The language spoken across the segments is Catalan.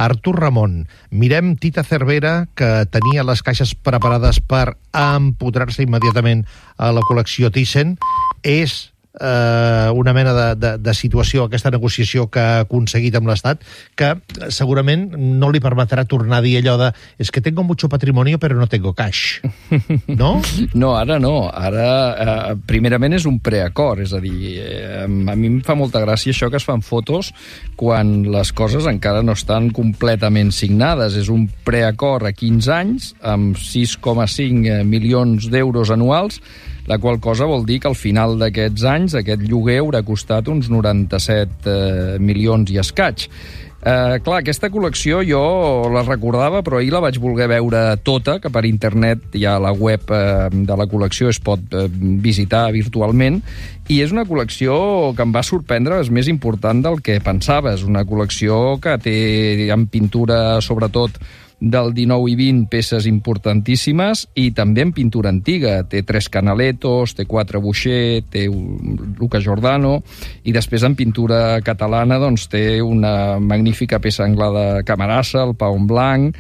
Artur Ramon, mirem Tita Cervera, que tenia les caixes preparades per empotrar-se immediatament a la col·lecció Thyssen. És una mena de situació, aquesta negociació que ha aconseguit amb l'Estat, que segurament no li permetrà tornar a dir allò de és que tengo mucho patrimonio però no tengo cash, no? No, ara no. Ara, primerament, és un preacord, és a dir, a mi em fa molta gràcia això que es fan fotos quan les coses encara no estan completament signades. És un preacord a 15 anys, amb 6,5 milions d'euros anuals, la qual cosa vol dir que al final d'aquests anys aquest lloguer haurà costat uns 97 milions i escaig. Clar, aquesta col·lecció jo la recordava, però ahir la vaig voler veure tota, que per internet ja a la web de la col·lecció es pot visitar virtualment, i és una col·lecció que em va sorprendre, és més important del que pensava. És una col·lecció que té en pintura, sobretot, del 19 i 20 peces importantíssimes, i també en pintura antiga. Té 3 Canalettos, té 4 Boucher, té Luca Giordano, i després en pintura catalana doncs té una magnífica peça anglada Camarasa, el Pau en Blanc,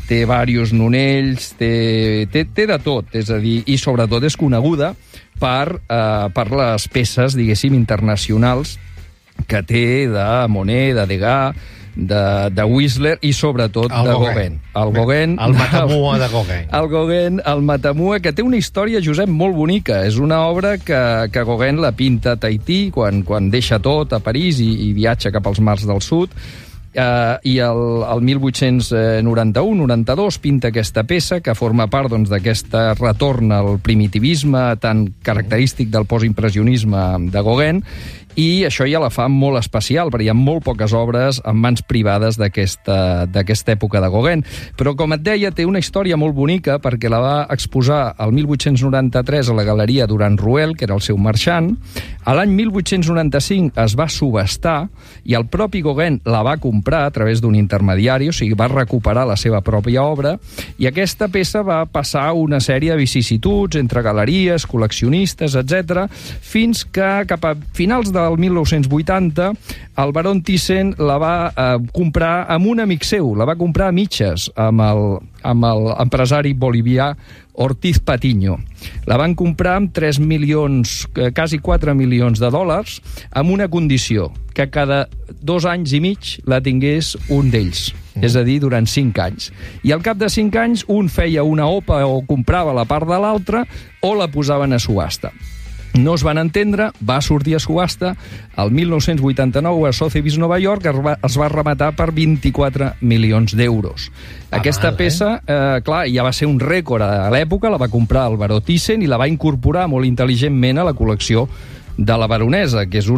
té diversos Nonells, té de tot, és a dir, i sobretot és coneguda per les peces, diguéssim, internacionals que té de Monet, de Degas, de Whistler i sobretot de Gauguin. El Matamua de Gauguin. El Gauguin, el Matamua, que té una història, Josep, molt bonica. És una obra que Gauguin la pinta a Tahití, quan deixa tot a París i viatja cap als mars del sud. I el 1891-92 pinta aquesta peça, que forma part d'aquest retorn al primitivisme tan característic del postimpressionisme de Gauguin, i això ja la fa molt especial, perquè hi ha molt poques obres en mans privades d'aquesta època de Gauguin. Però, com et deia, té una història molt bonica, perquè la va exposar el 1893 a la Galeria Durand Ruel, que era el seu marxant. A l'any 1895 es va subhastar, i el propi Gauguin la va comprar a través d'un intermediari, o sigui, va recuperar la seva pròpia obra, i aquesta peça va passar una sèrie de vicissituds entre galeries, col·leccionistes, etc., fins que cap a finals del 1980 el baron Thyssen la va comprar amb un amic seu, la va comprar a mitges amb l'empresari bolivià Ortiz Patiño. La van comprar amb 3 milions, quasi 4 milions de dòlars, amb una condició, que cada 2 anys i mig la tingués un d'ells, és a dir, durant 5 anys. I al cap de 5 anys un feia una OPA o comprava la part de l'altre o la posaven a subhasta. No es van entendre, va sortir a subhasta, el 1989 a Sotheby's Nova York es va rematar per 24 milions d'euros. Aquesta peça, clar, ja va ser un rècord a l'època, la va comprar el baró Thyssen i la va incorporar molt intel·ligentment a la col·lecció de la baronesa, que és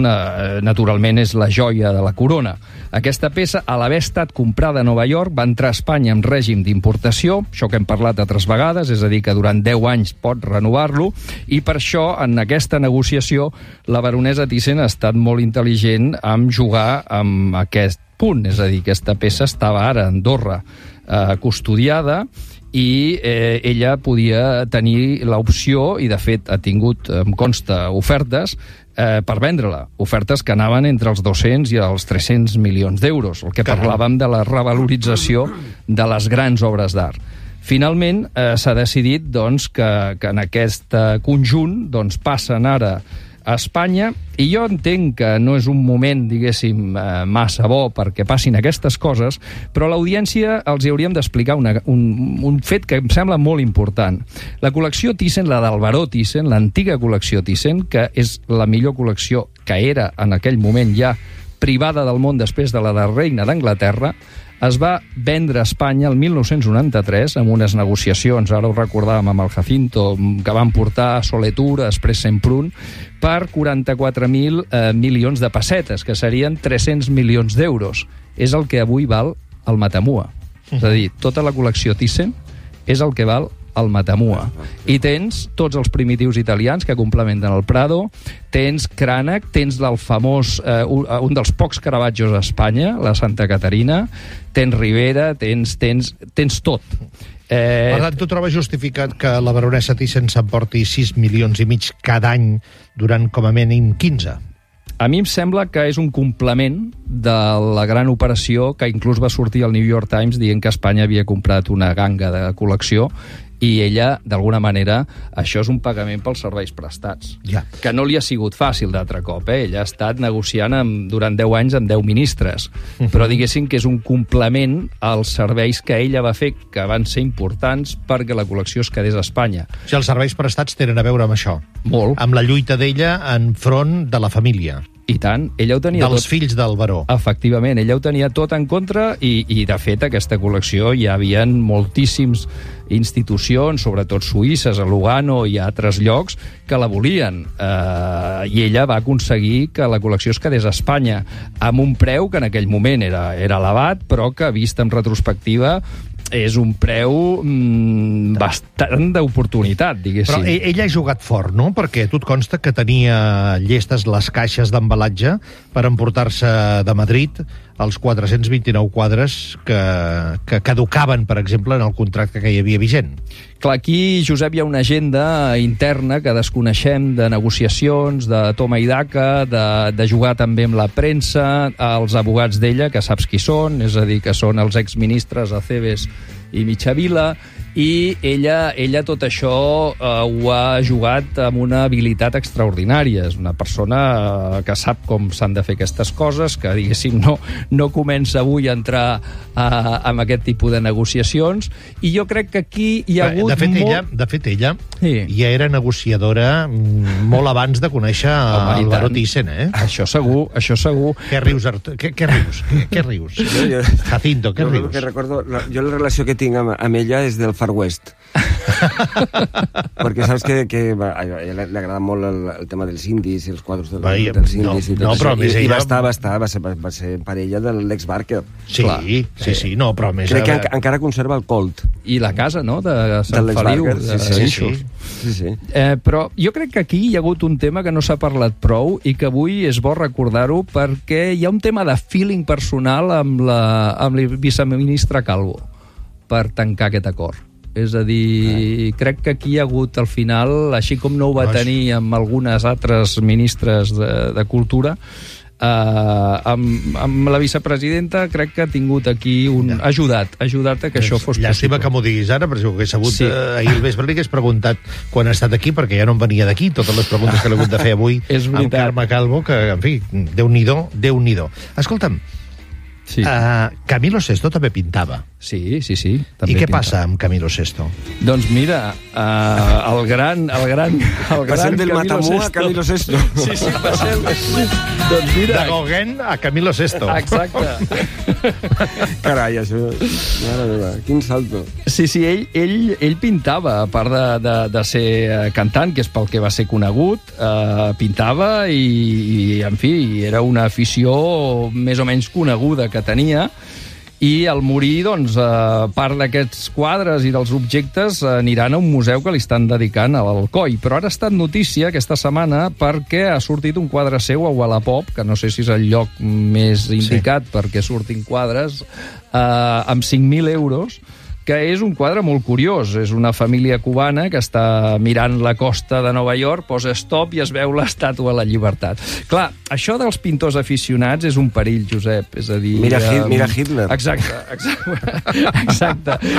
naturalment és la joia de la corona. Aquesta peça, a l'haver estat comprada a Nova York, va entrar a Espanya en règim d'importació, això que hem parlat altres vegades, és a dir, que durant 10 anys pot renovar-lo, i per això, en aquesta negociació, la baronesa Thyssen ha estat molt intel·ligent en jugar amb aquest punt, és a dir, aquesta peça estava ara a Andorra custodiada, i ella podia tenir l'opció, i de fet ha tingut, em consta, ofertes per vendre-la, ofertes que anaven entre els 200 i els 300 milions d'euros, el que parlàvem de la revalorització de les grans obres d'art. Finalment s'ha decidit que en aquest conjunt passen ara a Espanya, i jo entenc que no és un moment, diguéssim, massa bo perquè passin aquestes coses, però a l'audiència els hauríem d'explicar un fet que em sembla molt important. La col·lecció Thyssen, la del baró Thyssen, l'antiga col·lecció Thyssen, que és la millor col·lecció que era en aquell moment ja privada del món després de la reina d'Anglaterra, es va vendre a Espanya el 1993 amb unes negociacions, ara ho recordàvem amb el Jacinto, que van portar a Soletur, després Semprún, per 44.000 milions de pessetes, que serien 300 milions d'euros. És el que avui val el Matamua. És a dir, tota la col·lecció Thyssen és el que val el Matamua. I tens tots els primitius italians que complementen el Prado, tens Cranach, tens el famós, un dels pocs Caravaggios a Espanya, la Santa Caterina, tens Rivera, tens tot. Per tant, tu trobes justificat que la baronessa Thyssen s'emporti 6 milions i mig cada any durant com a mínim 15? A mi em sembla que és un complement de la gran operació que inclús va sortir al New York Times dient que Espanya havia comprat una ganga de col·lecció i ella, d'alguna manera, això és un pagament pels serveis prestats. Ja. Que no li ha sigut fàcil d'altre cop, Ella ha estat negociant durant 10 anys amb 10 ministres, però diguéssim que és un complement als serveis que ella va fer, que van ser importants perquè la col·lecció es quedés a Espanya. O sigui, els serveis prestats tenen a veure amb això. Molt. Amb la lluita d'ella en front de la família. I tant, ella ho tenia Dels tot. fills del baró. Efectivament, ella ho tenia tot en contra i de fet, aquesta col·lecció hi havia moltíssims institucions, sobretot suïsses, a Lugano i a altres llocs, que la volien. I ella va aconseguir que la col·lecció es quedés a Espanya amb un preu que en aquell moment era elevat, però que, vist en retrospectiva, és un preu bastant d'oportunitat, diguéssim. Però ella ha jugat fort, no? Perquè a tu et consta que tenia llestes les caixes d'embalatge per emportar-se de Madrid els 429 quadres que caducaven, per exemple, en el contracte que hi havia vigent. Clar, aquí, Josep, hi ha una agenda interna que desconeixem, de negociacions, de toma i daca, de jugar també amb la premsa, els abogats d'ella, que saps qui són, és a dir, que són els exministres Acebes i Michavila, i ella tot això ho ha jugat amb una habilitat extraordinària. És una persona que sap com s'han de fer aquestes coses, que, diguéssim, no comença avui a entrar en aquest tipus de negociacions, i jo crec que aquí hi ha hagut De fet, ella ja era negociadora molt abans de conèixer el baró Thyssen, Això segur, això segur. Què rius, Artur? Què rius? Jacinto, què rius? Que recordo, jo la relació que tinc amb ella és del Far West. Perquè saps que a ella li agrada molt el tema dels indis i els quadros dels indis i tot això. I va ser parella de l'Lex Barker. Sí, no, però més... Crec que encara conserva el Colt. I la casa, no?, de Sant Feliu. Sí. Però jo crec que aquí hi ha hagut un tema que no s'ha parlat prou i que avui és bo recordar-ho, perquè hi ha un tema de feeling personal amb la viceministra Calvo per tancar aquest acord. És a dir, crec que aquí hi ha hagut, al final, així com no ho va tenir amb algunes altres ministres de Cultura, amb la vicepresidenta crec que ha tingut aquí ha ajudat a que això fos Llàstima que m'ho diguis ara, però si ho hagués sabut ahir al vespre li hagués preguntat quan ha estat aquí, perquè ja no em venia d'aquí totes les preguntes que l'he hagut de fer avui amb Carme Calvo, que, en fi, Déu-n'hi-do. Escolta'm, Camilo Sesto també pintava. Sí. I què passa amb Camilo Sesto? Doncs mira, el gran passem del Matamú a Camilo Sesto. Sí, passem. Doncs mira... De Gauguin a Camilo Sesto. Exacte. Carai, això... Mare meva, quin salto. Sí, ell pintava, a part de ser cantant, que és pel que va ser conegut, pintava i, en fi, era una afició més o menys coneguda que tenia, i al morir, doncs, part d'aquests quadres i dels objectes aniran a un museu que li estan dedicant a l'Alcoi. Però ara ha estat notícia aquesta setmana perquè ha sortit un quadre seu a Wallapop, que no sé si és el lloc més indicat perquè surtin quadres, amb 5.000 euros, que és un quadre molt curiós. És una família cubana que està mirant la costa de Nova York, posa stop i es veu l'estàtua de la llibertat. Clar, això dels pintors aficionats és un perill, Josep. És a dir... Mira Hitler. Exacte.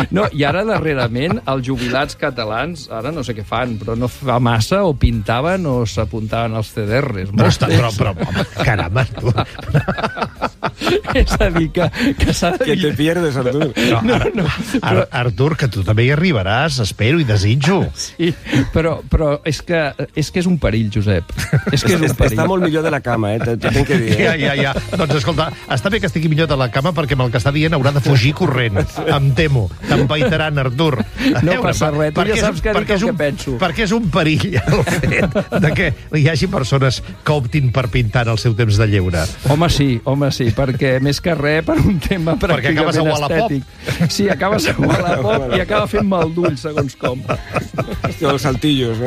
No, i ara, darrerament, els jubilats catalans, ara no sé què fan, però no fa massa, o pintaven o s'apuntaven als CDRs. Però caramba, tu... És a dir, que s'ha de... Que te pierdes, Artur. Artur, que tu també hi arribaràs, espero i desitjo. Sí, però és que és un perill, Josep. És que és un perill. Està molt millor de la cama, t'ho tinc que dir. Ja. Doncs escolta, està bé que estigui millor de la cama perquè amb el que està dient haurà de fugir corrent. Em temo. T'empaitaran, Artur. No passa res, tu ja saps que dic el que penso. Perquè és un perill el fet de que hi hagi persones que optin per pintar en el seu temps de lleure. Home, sí, perquè més que res per un tema pràcticament estètic. Sí, acabes a Wallapop i acaba fent mal d'ull, segons com. Els saltillos,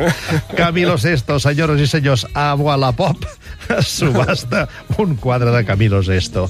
Camilo Sesto, senyores i senyors, a Wallapop subhasta un quadre de Camilo Sesto.